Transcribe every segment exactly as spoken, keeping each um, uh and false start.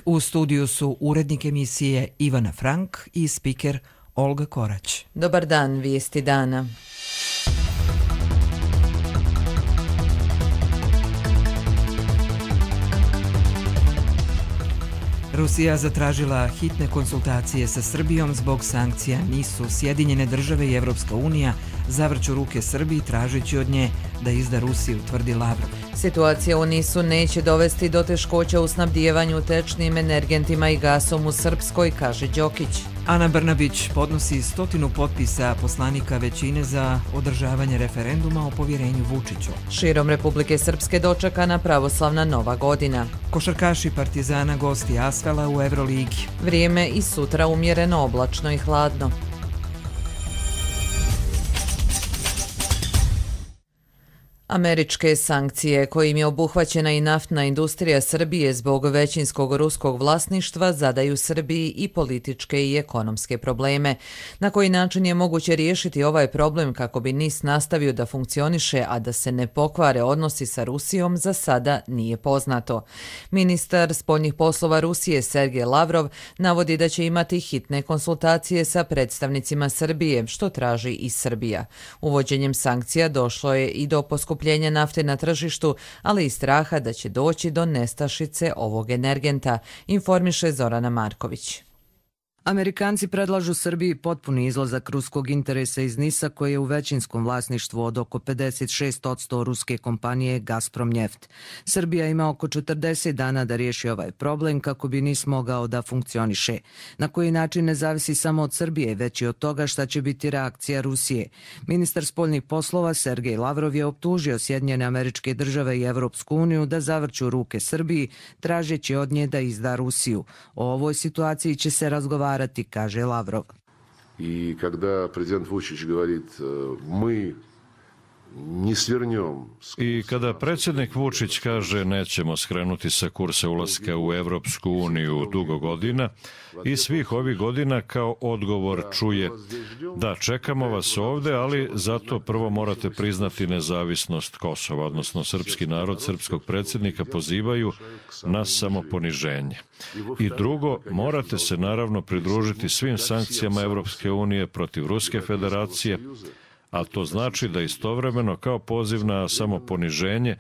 U studiju su urednik emisije Ivana Frank i spiker Olga Korać. Dobar dan, vijesti dana. Rusija zatražila hitne konsultacije sa Srbijom zbog sankcija. Nisu Sjedinjene države i Evropska unija zavrću ruke Srbiji tražeći od nje da izda Rusiju, tvrdi Lavrov. Situacija u Nisu neće dovesti do teškoća u snabdijevanju tečnim energentima i gasom u Srpskoj, kaže Đokić. Ana Brnabić podnosi stotinu potpisa poslanika većine za održavanje referenduma o povjerenju Vučiću. Širom Republike Srpske dočekana pravoslavna Nova godina. Košarkaši Partizana gosti Asvela u Evroligi. Vrijeme i sutra umjereno oblačno i hladno. Američke sankcije kojim je obuhvaćena i naftna industrija Srbije zbog većinskog ruskog vlasništva zadaju Srbiji i političke i ekonomske probleme. Na koji način je moguće riješiti ovaj problem kako bi N I S nastavio da funkcioniše, a da se ne pokvare odnosi sa Rusijom, za sada nije poznato. Ministar spoljnih poslova Rusije Sergej Lavrov navodi da će imati hitne konsultacije sa predstavnicima Srbije, što traži i Srbija. Uvođenjem sankcija došlo je i do poskupljenja nafte na tržištu, ali i straha da će doći do nestašice ovog energenta, informiše Zorana Marković. Amerikanci predlažu Srbiji potpuni izlazak ruskog interesa iz Nisa, koji je u većinskom vlasništvu od oko pedeset šest posto ruske kompanije Gazprom Njeft. Srbija ima oko četrdeset dana da riješi ovaj problem kako bi Nis mogao da funkcioniše. Na koji način ne zavisi samo od Srbije, već i od toga šta će biti reakcija Rusije. Ministar spoljnih poslova Sergej Lavrov je optužio Sjedinjene Američke Države i Evropsku uniju da zavrću ruke Srbiji, tražeći od nje da izda Rusiju. O ovoj situaciji će se razgovarati, kaže Lavrov. I kada prezident Vučić говорит, mi ne svrnjom. I kada predsjednik Vučić kaže nećemo skrenuti sa kursa ulaska u Evropsku uniju dugo godina, i svih ovih godina kao odgovor čuje da čekamo vas ovde, ali zato prvo morate priznati nezavisnost Kosova, odnosno srpski narod, srpskog predsjednika pozivaju na samoponiženje. I drugo, morate se naravno pridružiti svim sankcijama Evropske unije protiv Ruske federacije, a to znači da istovremeno kao poziv na samoponiženje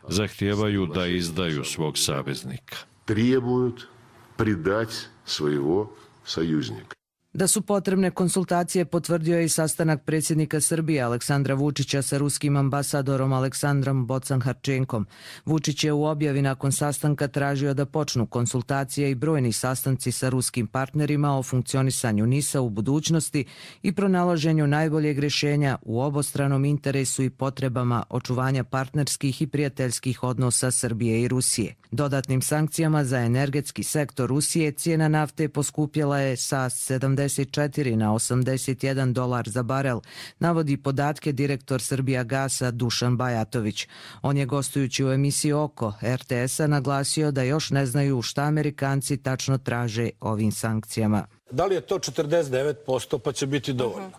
zahtijevaju da izdaju svog saveznika. Требуют предать своего союзника. Da su potrebne konsultacije potvrdio je i sastanak predsjednika Srbije Aleksandra Vučića sa ruskim ambasadorom Aleksandrom Bocan-Harčenkom. Vučić je u objavi nakon sastanka tražio da počnu konsultacije i brojni sastanci sa ruskim partnerima o funkcionisanju Nisa u budućnosti i pronalaženju najboljeg rješenja u obostranom interesu i potrebama očuvanja partnerskih i prijateljskih odnosa Srbije i Rusije. Dodatnim sankcijama za energetski sektor Rusije cijena nafte poskupjela je sa sedamdeset četiri na osamdeset jedan dolar za barel, navodi podatke direktor Srbijagasa Dušan Bajatović. On je gostujući u emisiji Oko R T S-a naglasio da još ne znaju šta Amerikanci tačno traže ovim sankcijama. Da li je to četrdeset devet posto pa će biti dovoljno?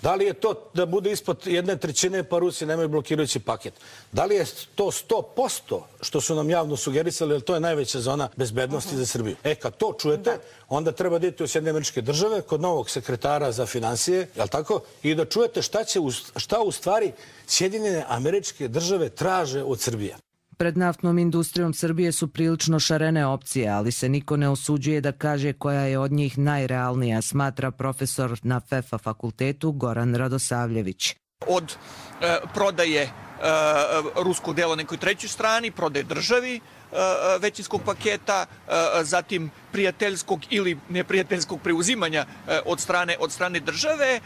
Da li je to da bude ispod jedne trećine pa Rusi nemaju blokirajući paket? Da li je to sto posto što su nam javno sugerisali, jer to je najveća zona bezbednosti za Srbiju? E, kad to čujete, onda treba da idete u Sjedinjene Američke Države kod novog sekretara za finansije, jel tako? I da čujete šta, će, šta u stvari Sjedinjene Američke Države traže od Srbije. Pred naftnom industrijom Srbije su prilično šarene opcije, ali se niko ne usuđuje da kaže koja je od njih najrealnija, smatra profesor na F E F A fakultetu Goran Radosavljević. Od e, prodaje e, ruskog dela nekoj trećoj strani, prodaje državi e, većinskog paketa, e, zatim prijateljskog ili neprijateljskog preuzimanja e, od strane od strane države, e,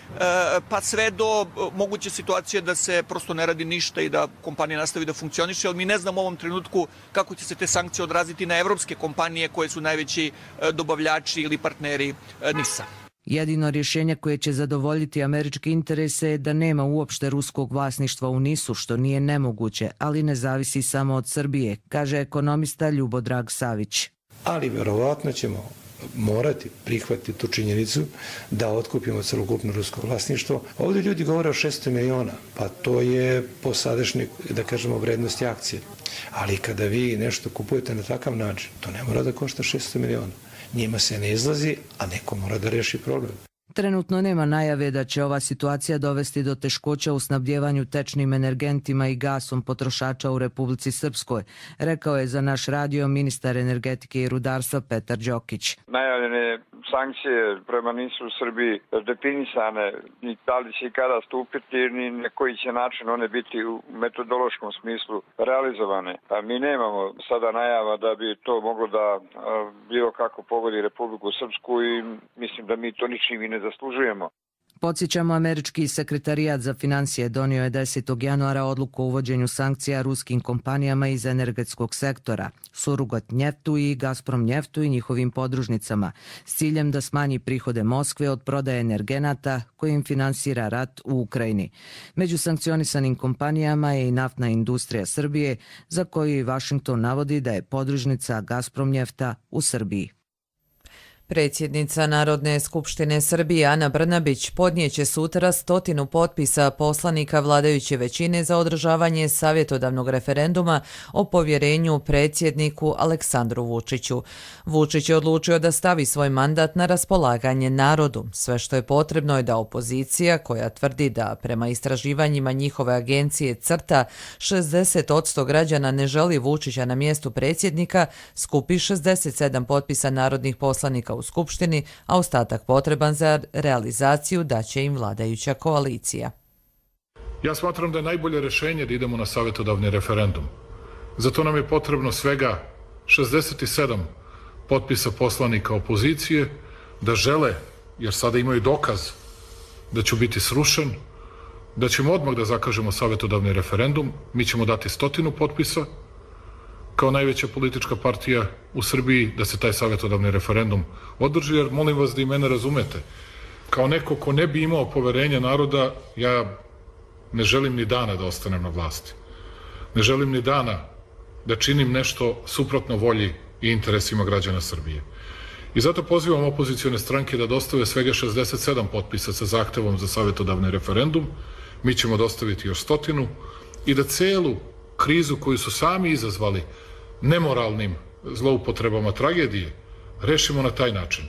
pa sve do moguće situacije da se prosto ne radi ništa i da kompanija nastavi da funkcioniše, ali mi ne znamo u ovom trenutku kako će se te sankcije odraziti na evropske kompanije koje su najveći e, dobavljači ili partneri e, Nisa. Jedino rješenje koje će zadovoljiti američke interese je da nema uopšte ruskog vlasništva u Nisu, što nije nemoguće, ali ne zavisi samo od Srbije, kaže ekonomista Ljubodrag Savić. Ali vjerovatno ćemo morati prihvatiti tu činjenicu da otkupimo celokupno rusko vlasništvo. Ovdje ljudi govore o šesto miliona, pa to je po sadašnjoj, da kažemo, vrednosti akcije. Ali kada vi nešto kupujete na takav način, to ne mora da košta šesto miliona. Njima se ne izlazi, a neko mora da reši problem. Trenutno nema najave da će ova situacija dovesti do teškoća u snabdjevanju tečnim energentima i gasom potrošača u Republici Srpskoj, rekao je za naš radio ministar energetike i rudarstva Petar Đokić. Najavljene sankcije prema nisu u Srbiji definisane, ni da li će i kada stupiti, ni na koji će način one biti u metodološkom smislu realizovane. A mi nemamo sada najava da bi to moglo da bilo kako pogodi Republiku Srpsku i mislim da mi to ničim i ne zaslužujemo. Podsjećamo, američki sekretarijat za financije donio je desetog januara odluku o uvođenju sankcija ruskim kompanijama iz energetskog sektora, Surgutneftu i Gazpromnjeftu i njihovim podružnicama, s ciljem da smanji prihode Moskve od prodaje energenata kojim finansira rat u Ukrajini. Među sankcionisanim kompanijama je i naftna industrija Srbije, za koju i Vašington navodi da je podružnica Gazpromnjefta u Srbiji. Predsjednica Narodne skupštine Srbije Ana Brnabić podnijeće sutra stotinu potpisa poslanika vladajuće većine za održavanje savjetodavnog referenduma o povjerenju predsjedniku Aleksandru Vučiću. Vučić je odlučio da stavi svoj mandat na raspolaganje narodu. Sve što je potrebno je da opozicija, koja tvrdi da prema istraživanjima njihove agencije CRTA šezdeset posto građana ne želi Vučića na mjestu predsjednika, skupi šezdeset sedam potpisa narodnih poslanika u Skupštini, a ostatak potreban za realizaciju daće im vladajuća koalicija. Ja smatram da je najbolje rješenje da idemo na savjetodavni referendum. Zato nam je potrebno svega šezdeset sedam potpisa poslanika opozicije da žele, jer sada imaju dokaz da će biti srušen, da ćemo odmah da zakažemo savjetodavni referendum. Mi ćemo dati stotinu potpisa kao najveća politička partija u Srbiji da se taj savjetodavni referendum održi, jer molim vas da i mene razumete. Kao neko ko ne bi imao poverenje naroda, ja ne želim ni dana da ostanem na vlasti. Ne želim ni dana da činim nešto suprotno volji i interesima građana Srbije. I zato pozivam opozicione stranke da dostave svega šezdeset sedam potpisa sa zahtevom za savjetodavni referendum. Mi ćemo dostaviti još stotinu i da celu krizu koju su sami izazvali nemoralnim zloupotrebama tragedije rešimo na taj način.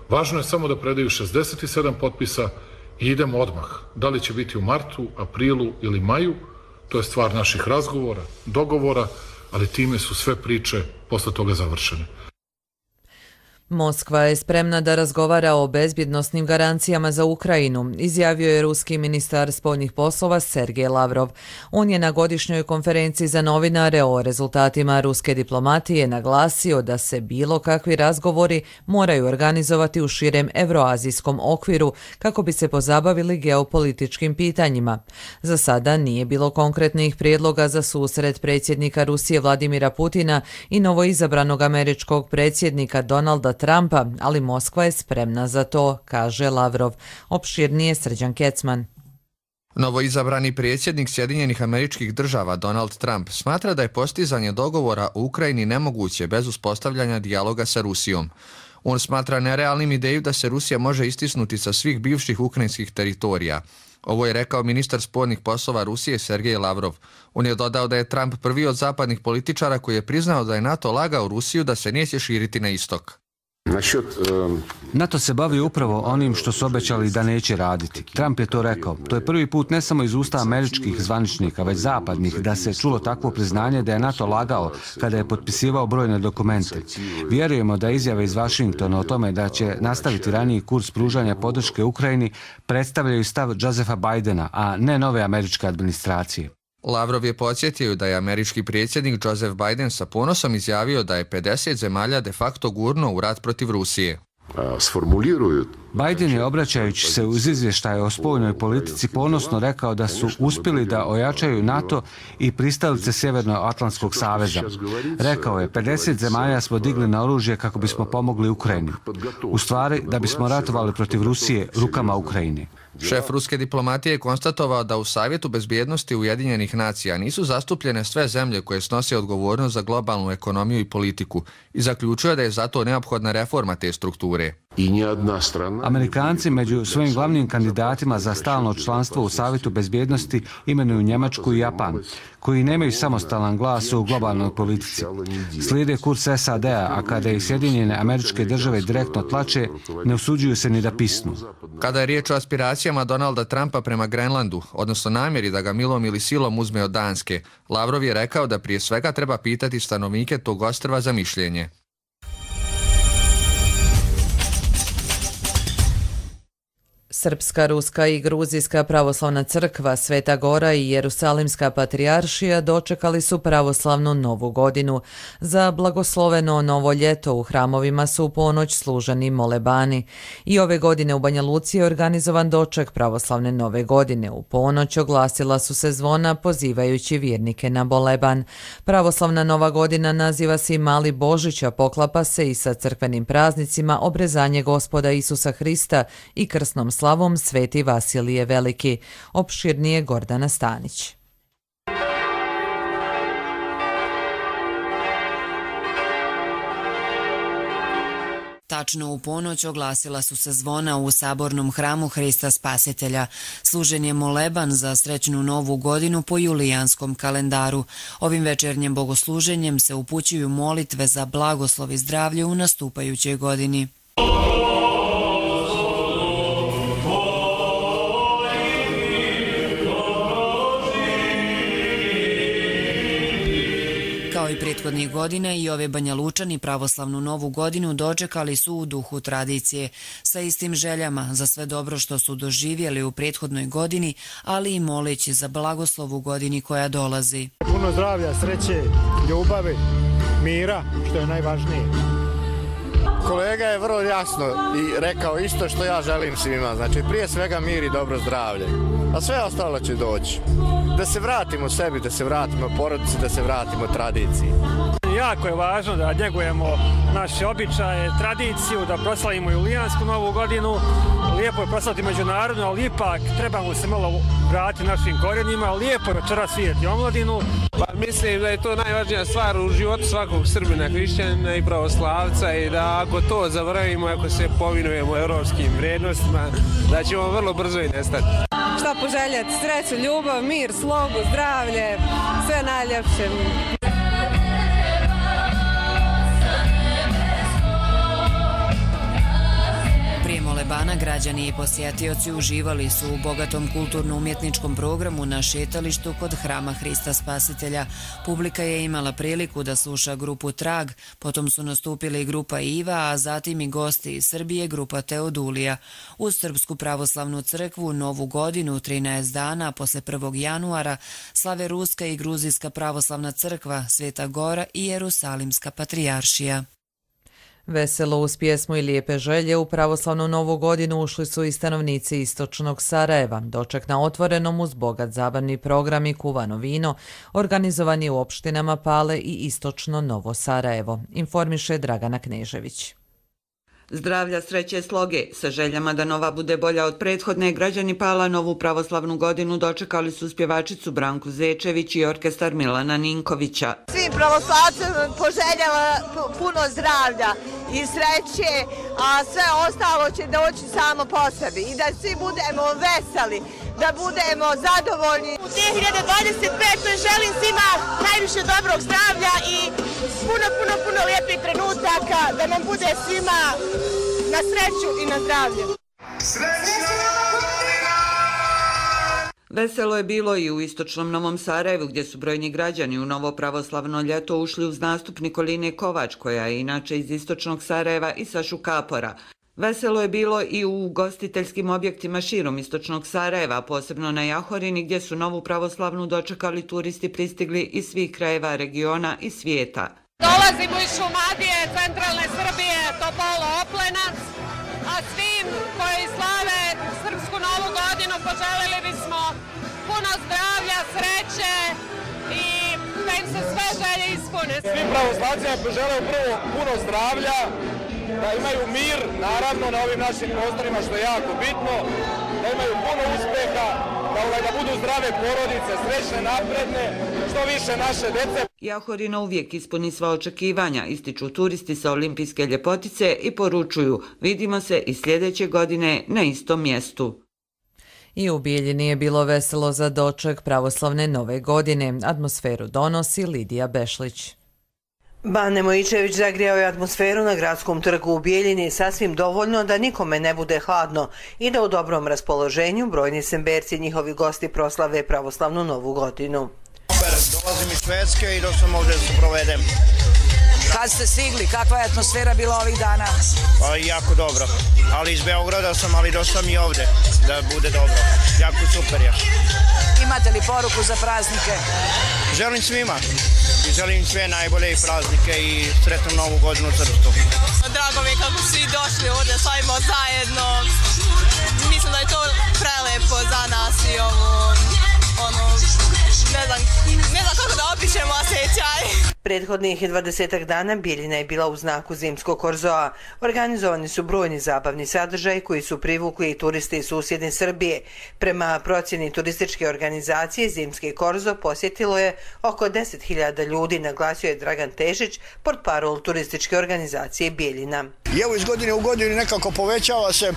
Važno je samo da predaju šezdeset sedam potpisa i idemo odmah. Da li će biti u martu, aprilu ili maju, to je stvar naših razgovora, dogovora, ali time su sve priče posle toga završene. Moskva je spremna da razgovara o bezbjednosnim garancijama za Ukrajinu, izjavio je ruski ministar spoljnih poslova Sergej Lavrov. On je na godišnjoj konferenciji za novinare o rezultatima ruske diplomatije naglasio da se bilo kakvi razgovori moraju organizovati u širem evroazijskom okviru kako bi se pozabavili geopolitičkim pitanjima. Za sada nije bilo konkretnih prijedloga za susret predsjednika Rusije Vladimira Putina i novoizabranog američkog predsjednika Donalda Trumpa, ali Moskva je spremna za to, kaže Lavrov. Opširnije Srđan Kecman. Novoizabrani predsjednik Sjedinjenih Američkih Država Donald Trump smatra da je postizanje dogovora u Ukrajini nemoguće bez uspostavljanja dijaloga sa Rusijom. On smatra nerealnim ideju da se Rusija može istisnuti sa svih bivših ukrajinskih teritorija. Ovo je rekao ministar spoljnih poslova Rusije Sergej Lavrov. On je dodao da je Trump prvi od zapadnih političara koji je priznao da je NATO lagao Rusiju da se neće širiti na istok. NATO se bavi upravo onim što su obećali da neće raditi. Trump je to rekao. To je prvi put ne samo iz usta američkih zvaničnika, već zapadnih, da se čulo takvo priznanje da je NATO lagao kada je potpisivao brojne dokumente. Vjerujemo da izjave iz Vašingtona o tome da će nastaviti raniji kurs pružanja podrške Ukrajini predstavljaju stav Josepha Bidena, a ne nove američke administracije. Lavrov je podsjetio da je američki predsjednik Joseph Biden sa ponosom izjavio da je pedeset zemalja de facto gurno u rat protiv Rusije. Sformuliruju Biden je, obraćajući se uz izvještaje o spoljnoj politici, ponosno rekao da su uspjeli da ojačaju NATO i pristalice Sjevernoatlantskog saveza. Rekao je, pedeset zemalja smo digli na oružje kako bismo pomogli Ukrajini. U stvari, da bismo ratovali protiv Rusije rukama Ukrajine. Šef ruske diplomatije je konstatovao da u Savjetu bezbjednosti Ujedinjenih nacija nisu zastupljene sve zemlje koje snose odgovornost za globalnu ekonomiju i politiku i zaključuje da je zato neophodna reforma te strukture. Amerikanci među svojim glavnim kandidatima za stalno članstvo u Savjetu bezbjednosti imenuju Njemačku i Japan, koji nemaju samostalan glas u globalnoj politici. Slijede kurs S A D-a, a kada i Sjedinjene Američke Države direktno tlače, ne usuđuju se ni da pisnu. Kada je riječ o aspiracijama Donalda Trumpa prema Grenlandu, odnosno namjeri da ga milom ili silom uzme od Danske, Lavrov je rekao da prije svega treba pitati stanovnike tog ostrva za mišljenje. Srpska, Ruska i Gruzijska pravoslavna crkva, Sveta Gora i Jerusalimska patrijaršija dočekali su pravoslavnu novu godinu. Za blagosloveno novo ljeto u hramovima su u ponoć služeni molebani. I ove godine u Banja Luci je organizovan doček pravoslavne nove godine. U ponoć oglasila su se zvona pozivajući vjernike na moleban. Pravoslavna nova godina naziva se i Mali Božić, a poklapa se i sa crkvenim praznicima Obrezanje Gospoda Isusa Hrista i krsnom slavom Sveti Vasilije Veliki. Opširnije Gordana Stanić. Tačno u ponoć oglasila su se zvona u sabornom hramu Hrista Spasitelja. Služen je moleban za srećnu novu godinu po julijanskom kalendaru. Ovim večernjem bogosluženjem se upućuju molitve za blagoslov i zdravlje u nastupajućoj godini. Kao i prethodnih godina i ove Banja Lučani pravoslavnu novu godinu dočekali su u duhu tradicije, sa istim željama za sve dobro što su doživjeli u prethodnoj godini, ali i moleći za blagoslov u godini koja dolazi. Puno zdravlja, sreće, ljubavi, mira, što je najvažnije. Kolega je vrlo jasno i rekao isto što ja želim svima, znači prije svega mir i dobro zdravlje, a sve ostalo će doći. Da se vratimo sebi, da se vratimo porodici, da se vratimo tradiciji. Jako je važno da njegujemo naše običaje, tradiciju, da proslavimo julijansku novu godinu. Lijepo je proslaviti međunarodno, ali ipak trebamo se malo vratiti našim korijenima. Lijepo je večeras vidjeti omladinu. Pa mislim da je to najvažnija stvar u životu svakog Srbina, hrišćanina i pravoslavca i da ako to zaboravimo, ako se povinujemo evropskim vrijednostima, da ćemo vrlo brzo i nestati. Šta poželjeti? Sreću, ljubav, mir, slogu, zdravlje, sve najljepše. Prije molebana građani i posjetioci uživali su u bogatom kulturno-umjetničkom programu na šetalištu kod hrama Hrista Spasitelja. Publika je imala priliku da sluša grupu Trag, potom su nastupili grupa Iva, a zatim i gosti iz Srbije grupa Teodulija. Uz Srpsku pravoslavnu crkvu novu godinu, trinaest dana posle prvog januara, slave Ruska i Gruzijska pravoslavna crkva, Sveta Gora i Jerusalimska patrijaršija. Veselo uz pjesmu i lijepe želje u pravoslavnu novu godinu ušli su i stanovnici istočnog Sarajeva. Doček na otvorenom uz bogat zabavni program i kuvano vino, organizovani u opštinama Pale i istočno Novo Sarajevo, informiše Dragana Knežević. Zdravlja, sreće, sloge. Sa željama da nova bude bolja od prethodne, građani Pala novu pravoslavnu godinu dočekali su spjevačicu Branku Zečević i orkestar Milana Ninkovića. Svim pravoslavcima poželjava puno zdravlja i sreće, a sve ostalo će doći samo po sebi i da svi budemo veseli, da budemo zadovoljni. U dvije hiljade dvadeset petoj želim svima najviše dobrog zdravlja i puno, puno, puno lijepih trenutaka, da nam bude svima na sreću i na zdravlje. Veselo je bilo i u istočnom Novom Sarajevu, gdje su brojni građani u novo pravoslavno ljeto ušli uz nastup Nikoline Kovač, koja je inače iz istočnog Sarajeva, i Sašu Kapora. Veselo je bilo i u ugostiteljskim objektima širom istočnog Sarajeva, posebno na Jahorini, gdje su novu pravoslavnu dočekali turisti pristigli iz svih krajeva regiona i svijeta. Dolazimo iz Šumadije, centralne Srbije, Topolo Oplenac, a A svim koji slave Srpsku novu godinu poželili bismo puno zdravlja, sreće i da im se sve želje ispune. Svim pravoslavcima poželim prvo puno zdravlja, da imaju mir, naravno, na ovim našim prostorima, što je jako bitno, da imaju puno uspeha, da, da budu zdrave porodice, srećne, napredne, što više naše dece. Jahorina uvijek ispuni sva očekivanja, ističu turisti sa olimpijske ljepotice i poručuju, vidimo se i sljedeće godine na istom mjestu. I u Bijeljini je bilo veselo za doček pravoslavne nove godine. Atmosferu donosi Lidija Bešlić. Bane Mojičević zagrijao je atmosferu na gradskom trgu u Bijeljini sasvim dovoljno da nikome ne bude hladno i da u dobrom raspoloženju brojni semberci i njihovi gosti proslave pravoslavnu novu godinu. Dolazim iz Švedske i došao sam ovdje da se provedem. Kad ste stigli, kakva je atmosfera bila ovih dana? Pa, jako dobro, ali iz Beograda sam, ali došao sam i ovdje da bude dobro. Jako super je. Imate li poruku za praznike? Želim svima i želim sve najbolje i praznike i sretnu novu godinu u Trstu. Drago mi je kako svi došli ovdje, slavimo zajedno. Mislim da je to prelepo za nas i ovo, ono, ne znam, ne znam kako da opišemo osjećaj. Prethodnih dvadesetak dana Bijeljina je bila u znaku zimskog korzoa. Organizovani su brojni zabavni sadržaji koji su privukli i turiste iz susjedne Srbije. Prema procjeni turističke organizacije, zimski korzo posjetilo je oko deset hiljada ljudi, naglasio je Dragan Tešić, portparol turističke organizacije Bijeljina. I evo iz godine u godinu nekako povećava se e,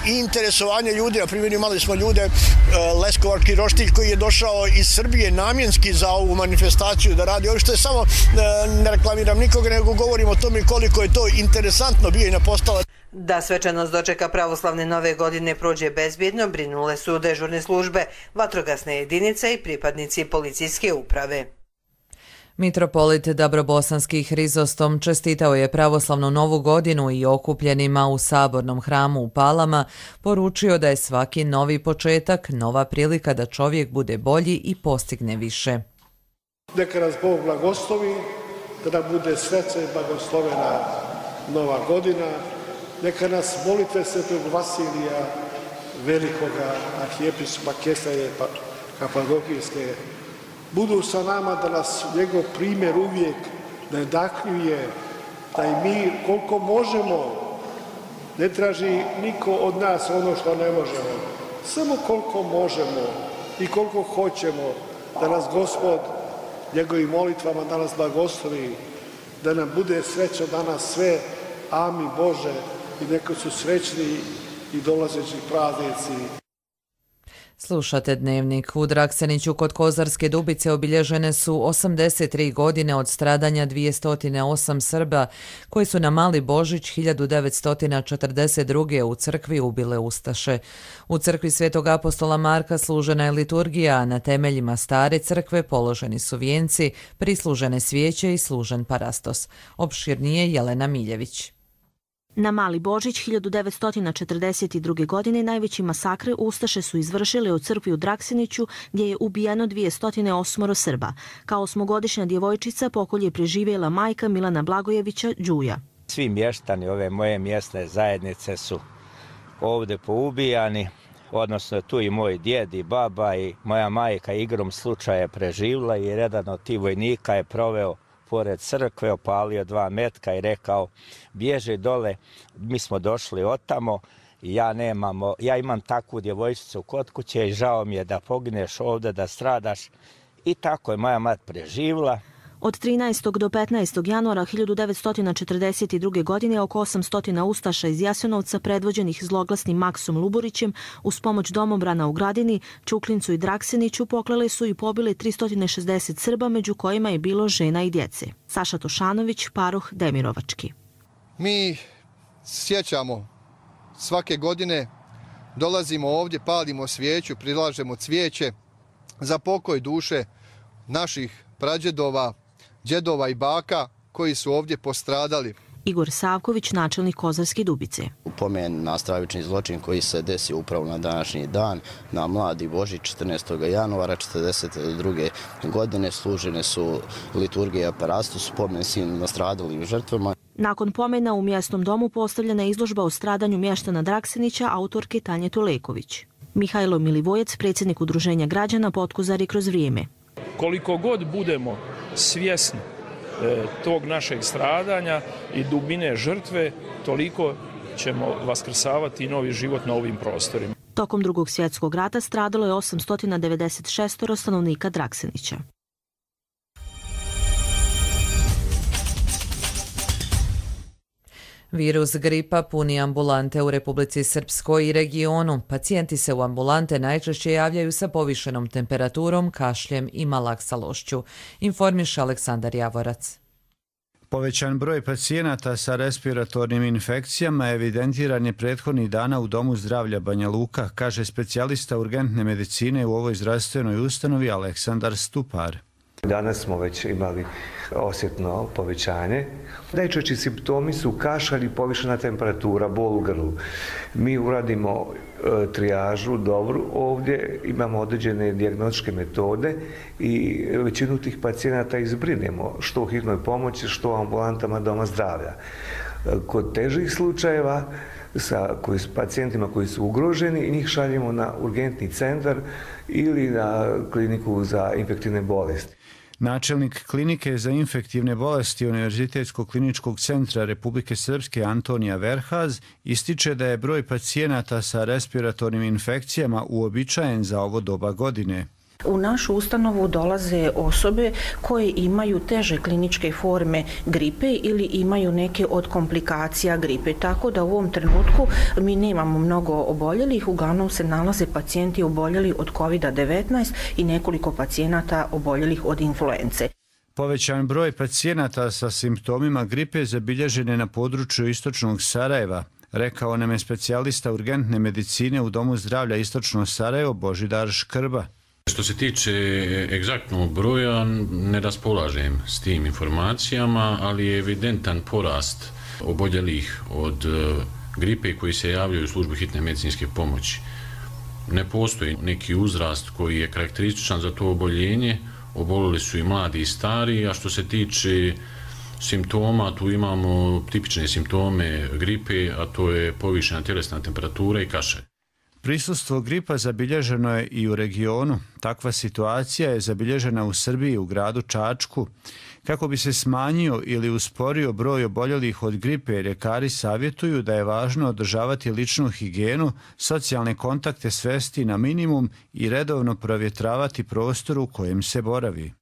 i interesovanje ljudi. Na primjer, imali smo ljude, e, Leskovar Kiroštilj koji je došao iz Srbije namjenski za ovu manifestaciju da radi ovo, što je samo, e, ne reklamiram nikoga, nego govorim o tome koliko je to interesantno Bijeljina postala. Da svečanost dočeka pravoslavne nove godine prođe bezbjedno, brinule su dežurne službe, vatrogasne jedinice i pripadnici policijske uprave. Mitropolit Dabrobosanski Hrizostom čestitao je pravoslavnu novu godinu i okupljenima u sabornom hramu u Palama poručio da je svaki novi početak nova prilika da čovjek bude bolji i postigne više. Neka nas Bog blagoslovi, da nam bude sreća i blagoslovena nova godina. Neka nas molitve Svetog Vasilija, velikoga arhijepiskopa Kesarije Kapadokijske, budu sa nama, da nas njegov primjer uvijek nadahljuje, da i mi koliko možemo, ne traži niko od nas ono što ne možemo, samo koliko možemo i koliko hoćemo, da nas Gospod njegovim molitvama da nas blagoslovi, da nam bude sreća danas sve, amin Bože, i neko su srećni i dolazeći praznici. Slušate Dnevnik. U Drakseniću kod Kozarske Dubice obilježene su osamdeset tri godine od stradanja dvjesto osam Srba koji su na Mali Božić hiljadu devetsto četrdeset druge u crkvi ubile ustaše. U crkvi Svetog apostola Marka služena je liturgija, a na temeljima stare crkve položeni su vijenci, prislužene svijeće i služen parastos. Opširnije Jelena Miljević. Na Mali Božić hiljadu devetsto četrdeset druge. godine najveći masakre ustaše su izvršile u crkvi u Drakseniću gdje je ubijeno dvjesto osam Srba. Kao osmogodišnja djevojčica pokolj je preživjela majka Milana Blagojevića Đuja. Svi mještani ove moje mjesne zajednice su ovdje poubijani, odnosno tu i moj djed i baba i moja majka igrom slučaja je preživjela i jedan od tih vojnika je proveo pored crkve, opalio dva metka i rekao bježi dole, mi smo došli otamo i ja, nemamo, ja imam takvu djevojčicu kod kuće i žao mi je da pogineš ovdje, da stradaš. I tako je moja mat preživjela. Od trinaestog do petnaestog januara hiljadu devetsto četrdeset druge. godine oko osamsto ustaša iz Jasenovca predvođenih zloglasnim Maksom Luburićem uz pomoć domobrana u Gradini, Čuklincu i Drakseniću poklale su i pobile tristo šezdeset Srba, među kojima je bilo žena i djece. Saša Tošanović, paroh Demirovački. Mi sjećamo svake godine, dolazimo ovdje, palimo svijeću, prilažemo cvijeće za pokoj duše naših prađedova, djedova i baka koji su ovdje postradali. Igor Savković, načelnik Kozarske Dubice. Upomen na stravični zločin koji se desio upravo na današnji dan, na Mladi Božić četrnaestog januara četrdeset druge. godine služene su liturgije parastos, spomen svim nastradalim žrtvama. Nakon pomena u mjesnom domu postavljena je izložba o stradanju mještana Draksenića autorke Tanje Tuleković. Mihajlo Milivojec, predsjednik Udruženja građana Potkozari kroz vrijeme. Koliko god budemo svjesni e, tog našeg stradanja i dubine žrtve, toliko ćemo vaskrsavati i novi život na ovim prostorima. Tokom Drugog svjetskog rata stradalo je osamsto devedeset šest stanovnika Draksenića. Virus gripa puni ambulante u Republici Srpskoj i regionu. Pacijenti se u ambulante najčešće javljaju sa povišenom temperaturom, kašljem i malaksalošću, informiše Aleksandar Javorac. Povećan broj pacijenata sa respiratornim infekcijama evidentiran je prethodnih dana u Domu zdravlja Banja Luka, kaže specijalista urgentne medicine u ovoj zdravstvenoj ustanovi Aleksandar Stupar. Danas smo već imali osjetno povećanje. Najčešći simptomi su kašalj i povišena temperatura, bol u grlu. Mi uradimo e, trijažu dobru ovdje, imamo određene dijagnostičke metode i većinu tih pacijenata izbrinemo što u hitnoj pomoći, što u ambulantama doma zdravlja. E, kod težih slučajeva sa koji, s pacijentima koji su ugroženi, njih šaljemo na urgentni centar ili na kliniku za infektivne bolesti. Načelnik klinike za infektivne bolesti Univerzitetskog kliničkog centra Republike Srpske Antonija Verhaz ističe da je broj pacijenata sa respiratornim infekcijama uobičajen za ovo doba godine. U našu ustanovu dolaze osobe koje imaju teže kliničke forme gripe ili imaju neke od komplikacija gripe, tako da u ovom trenutku mi nemamo mnogo oboljelih, uglavnom se nalaze pacijenti oboljeli od kovid devetnaest i nekoliko pacijenata oboljelih od influence. Povećan broj pacijenata sa simptomima gripe zabilježen je na području istočnog Sarajeva, rekao nam je specijalista urgentne medicine u Domu zdravlja Istočno Sarajevo Božidar Škrba. Što se tiče egzaktnog broja, ne raspolažem s tim informacijama, ali je evidentan porast oboljelih od gripe koji se javljaju u službu hitne medicinske pomoći. Ne postoji neki uzrast koji je karakterističan za to oboljenje, obolili su i mladi i stari, a što se tiče simptoma, tu imamo tipične simptome gripe, a to je povišena tjelesna temperatura i kašalj. Prisustvo gripa zabilježeno je i u regionu. Takva situacija je zabilježena u Srbiji u gradu Čačku. Kako bi se smanjio ili usporio broj oboljelih od gripe, ljekari savjetuju da je važno održavati ličnu higijenu, socijalne kontakte svesti na minimum i redovno provjetravati prostor u kojem se boravi.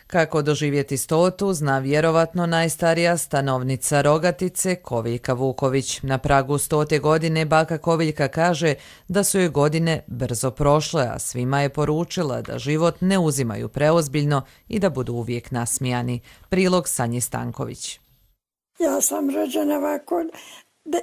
Kako doživjeti stotu, zna vjerovatno najstarija stanovnica Rogatice, Koviljka Vuković. Na pragu stote godine baka Koviljka kaže da su joj godine brzo prošle, a svima je poručila da život ne uzimaju preozbiljno i da budu uvijek nasmijani. Prilog Sanji Stanković. Ja sam rođena ovako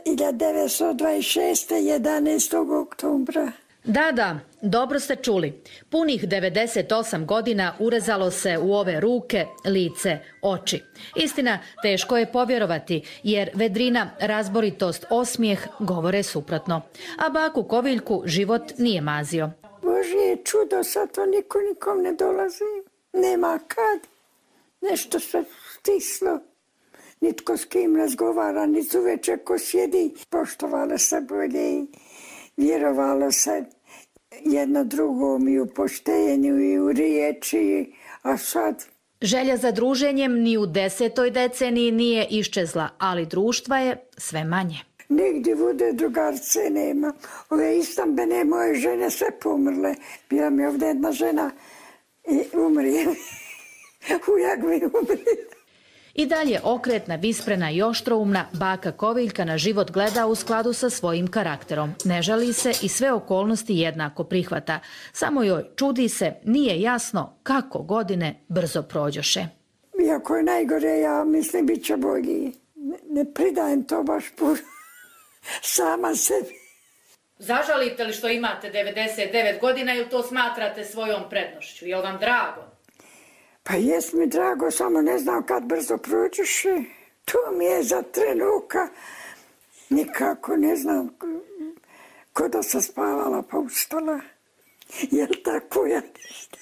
hiljadu devetsto dvadeset šeste. jedanaestog oktobra. Da, da, dobro ste čuli. Punih devedeset osam godina urezalo se u ove ruke, lice, oči. Istina, teško je povjerovati, jer vedrina, razboritost, osmijeh govore suprotno. A baku Koviljku život nije mazio. Božje čudo, sad to niko nikom ne dolazi. Nema kad. Nešto se stislo. Nitko s kim razgovara, nit uveče ko sjedi. Poštovalo se bolje i vjerovalo se jedno drugom i u poštenju i u riječi, a sad... Želja za druženjem ni u desetoj deceniji nije iščezla, ali društva je sve manje. Nigdje vude drugarce nema. Ove istambene moje žene sve pomrle. Bila mi ovdje jedna žena i umrije. Ujak mi umrije. I dalje okretna, visprena i oštroumna, baka Koviljka na život gleda u skladu sa svojim karakterom. Ne žali se i sve okolnosti jednako prihvata. Samo joj, čudi se, nije jasno kako godine brzo prođoše. Iako je najgore, ja mislim bit će bolji. Ne, ne pridajem to baš puno. Sama sebi. Zažalite li što imate devedeset devet godina ili to smatrate svojom prednošću? Je li vam drago? Pa jes mi drago, samo ne znam kad brzo prođeš. To mi je za trenutka. Nikako ne znam ko da sam spavala pa ustala. Jel tako ja ništa?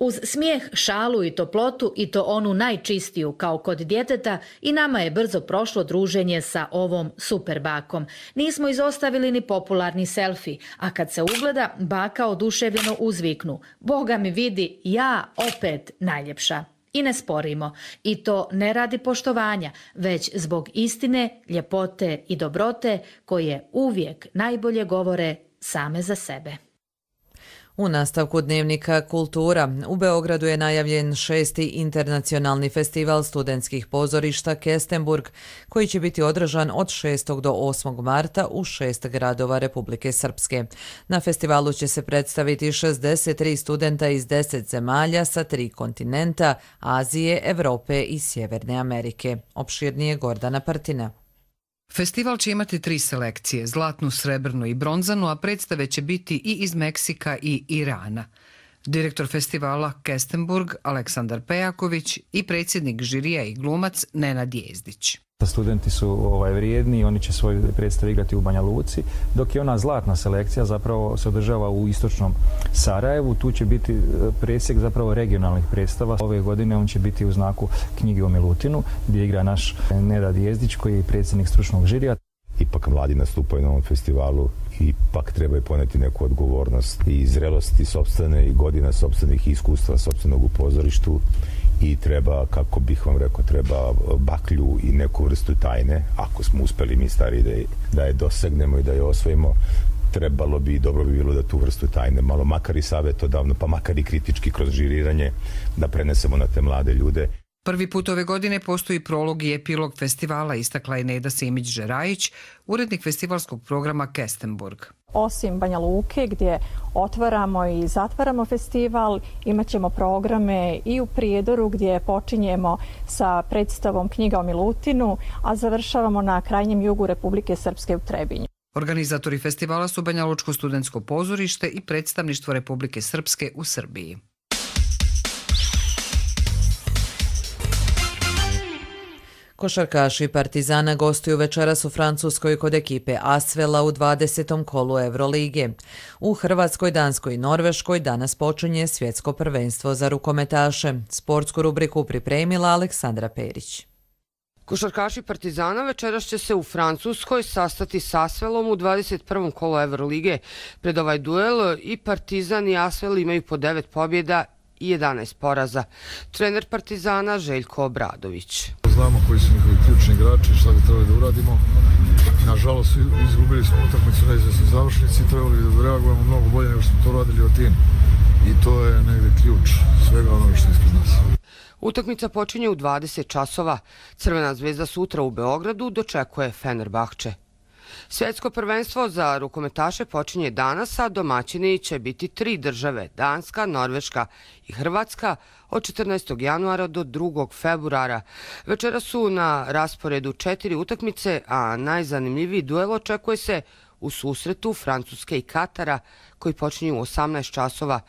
Uz smijeh, šalu i toplotu i to onu najčistiju kao kod djeteta i nama je brzo prošlo druženje sa ovom super bakom. Nismo izostavili ni popularni selfie, a kad se ugleda, baka oduševljeno uzviknu: Boga mi vidi, ja opet najljepša. I ne sporimo. I to ne radi poštovanja, već zbog istine, ljepote i dobrote koje uvijek najbolje govore same za sebe. U nastavku dnevnika Kultura u Beogradu je najavljen šesti internacionalni festival studentskih pozorišta Kestenburg, koji će biti održan od šestog do osmog marta u šest gradova Republike Srpske. Na festivalu će se predstaviti šezdeset tri studenta iz deset zemalja sa tri kontinenta, Azije, Evrope i Sjeverne Amerike. Opširnije Gordana Partina. Festival će imati tri selekcije, zlatnu, srebrnu i bronzanu, a predstave će biti i iz Meksika i Irana. Direktor festivala Kestenburg Aleksandar Pejaković i predsjednik žirija i glumac Nenad Jezdić. Studenti su ovaj, vrijedni i oni će svoju predstavu igrati u Banja Luci, dok je ona zlatna selekcija zapravo se održava u istočnom Sarajevu. Tu će biti presjek zapravo regionalnih predstava. Ove godine on će biti u znaku knjige o Milutinu, gdje igra naš Nenad Jezdić koji je predsjednik stručnog žirija. Ipak mladi nastupaju na ovom festivalu i ipak trebaju poneti neku odgovornost i zrelosti sopstvene i godina sopstvenih iskustva sopstvenog u pozorištu. I treba, kako bih vam rekao, treba baklju i neku vrstu tajne, ako smo uspeli mi stari da je, da je dosegnemo i da je osvojimo, trebalo bi i dobro bi bilo da tu vrstu tajne, malo makar i savjetodavno, pa makar i kritički kroz žiriranje, da prenesemo na te mlade ljude. Prvi put ove godine postoji prolog i epilog festivala, istakla je Neda Simić-Žerajić, urednik festivalskog programa Kestenburg. Osim Banja Luke gdje otvaramo i zatvaramo festival, imat ćemo programe i u Prijedoru gdje počinjemo sa predstavom Knjiga o Milutinu, a završavamo na krajnjem jugu Republike Srpske u Trebinju. Organizatori festivala su Banja Lučko studentsko pozorište i predstavništvo Republike Srpske u Srbiji. Košarkaši Partizana gostuju večeras u Francuskoj kod ekipe Asvela u dvadesetom kolu Evrolige. U Hrvatskoj, Danskoj i Norveškoj danas počinje svjetsko prvenstvo za rukometaše. Sportsku rubriku pripremila Aleksandra Perić. Košarkaši Partizana večeras će se u Francuskoj sastati s Asvelom u dvadeset prvom kolu Evrolige. Pred ovaj duel i Partizan i Asvel imaju po devet pobjeda i jedanaest poraza. Trener Partizana Željko Obradović. Znamo koji su njihovi ključni igrači, šta bi trebali da uradimo. Nažalost, izgubili smo utakmicu na izvesnoj završnici, trebali bi da reagujemo mnogo bolje nego što smo to radili od tim. I to je negde ključ svega onoga što je ispred nas. Utakmica počinje u dvadeset časova. Crvena zvezda sutra u Beogradu dočekuje Fenerbahče. Svjetsko prvenstvo za rukometaše počinje danas, a domaćini će biti tri države, Danska, Norveška i Hrvatska, od četrnaestog januara do drugog februara. Večera su na rasporedu četiri utakmice, a najzanimljiviji duel očekuje se u susretu Francuske i Katara, koji počinju u osamnaest časova.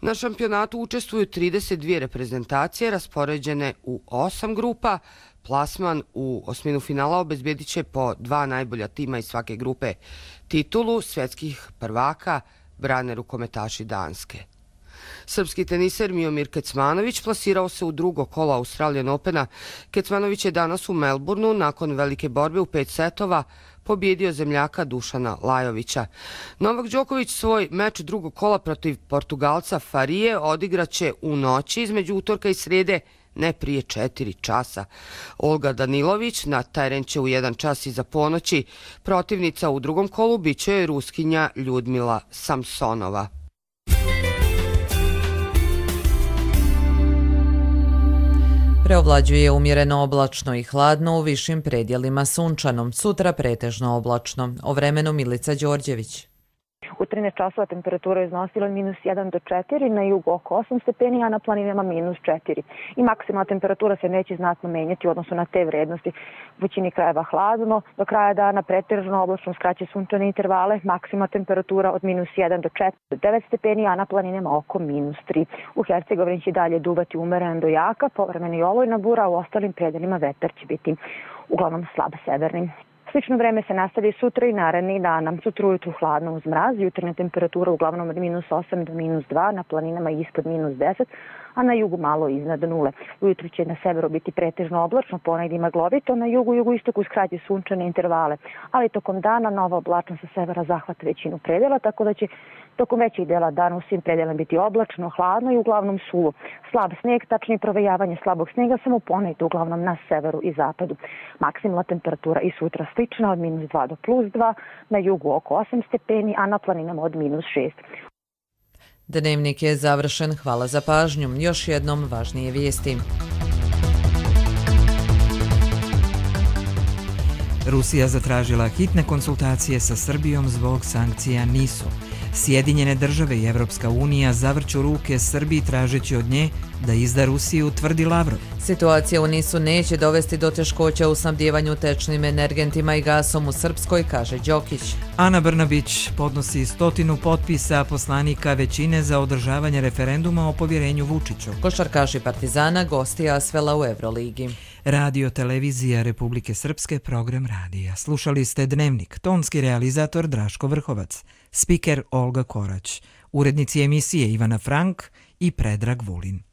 Na šampionatu učestvuju trideset dvije reprezentacije raspoređene u osam grupa. Plasman u osminu finala obezbjedit će po dva najbolja tima iz svake grupe. Titulu svjetskih prvaka brane rukometaši Danske. Srpski teniser Miomir Kecmanović plasirao se u drugo kolo Australian Opena. Kecmanović je danas u Melbourneu nakon velike borbe u pet setova pobjedio zemljaka Dušana Lajovića. Novak Đoković svoj meč drugog kola protiv Portugalca Farije odigraće u noći između utorka i srijede, ne prije četiri časa. Olga Danilović na teren će u jedan čas iza ponoći. Protivnica u drugom kolu biće je Ruskinja Ljudmila Samsonova. Preovlađuje umjereno oblačno i hladno, u višim predjelima sunčano. Sutra pretežno oblačno. O vremenu Milica Đorđević. U trinaest časova temperatura je iznosila minus jedan do četiri, na jugu oko osam stepeni, a na planinama minus četiri. I maksimalna temperatura se neće znatno menjati u odnosu na te vrednosti. U većini krajeva hladno, do kraja dana pretežno oblačno skraće sunčane intervale, maksimalna temperatura od minus jedan do četiri do devet stepeni, a na planinama oko minus tri. U Hercegovini će dalje duvati umeren do jaka, povremeno i olujna bura, a u ostalim predelima vetar će biti uglavnom slab severni. Slično vreme se nastavlja sutra i narednih dana. Sutra ujutru hladno uz mraz, jutarnja temperatura uglavnom od minus osam do minus dva, na planinama ispod minus deset, a na jugu malo iznad nule. Ujutru će na severu biti pretežno oblačno, ponegdje maglovito, na jugu i jugoistoku uz kraće sunčane intervale, ali tokom dana nova oblačnost sa severa zahvata većinu predela, tako da će tokom većih dela dana u svim predelima biti oblačno, hladno i uglavnom suvo. Slab snijeg, tačnije provejavanje slabog snijega samo ponegdje uglavnom na severu i zapadu. Maksimalna temperatura i sutra slična od minus dva do plus dva, na jugu oko osam stepeni, a na planinama od minus šest. Dnevnik je završen. Hvala za pažnju. Još jednom važnije vijesti. Rusija zatražila hitne konsultacije sa Srbijom zbog sankcija nisu. Sjedinjene države i Evropska unija zavrću ruke Srbiji tražeći od nje da izda Rusiju, tvrdi Lavrov. Situacija u Nisu neće dovesti do teškoća u snabdijevanju tečnim energentima i gasom u Srpskoj, kaže Đokić. Ana Brnabić podnosi stotinu potpisa poslanika većine za održavanje referenduma o povjerenju Vučiću. Košarkaši Partizana gosti Asvela u Evroligi. Radio Televizija Republike Srpske, program radija. Slušali ste Dnevnik, tonski realizator Draško Vrhovac, spiker Olga Korać, urednici emisije Ivana Frank i Predrag Vulin.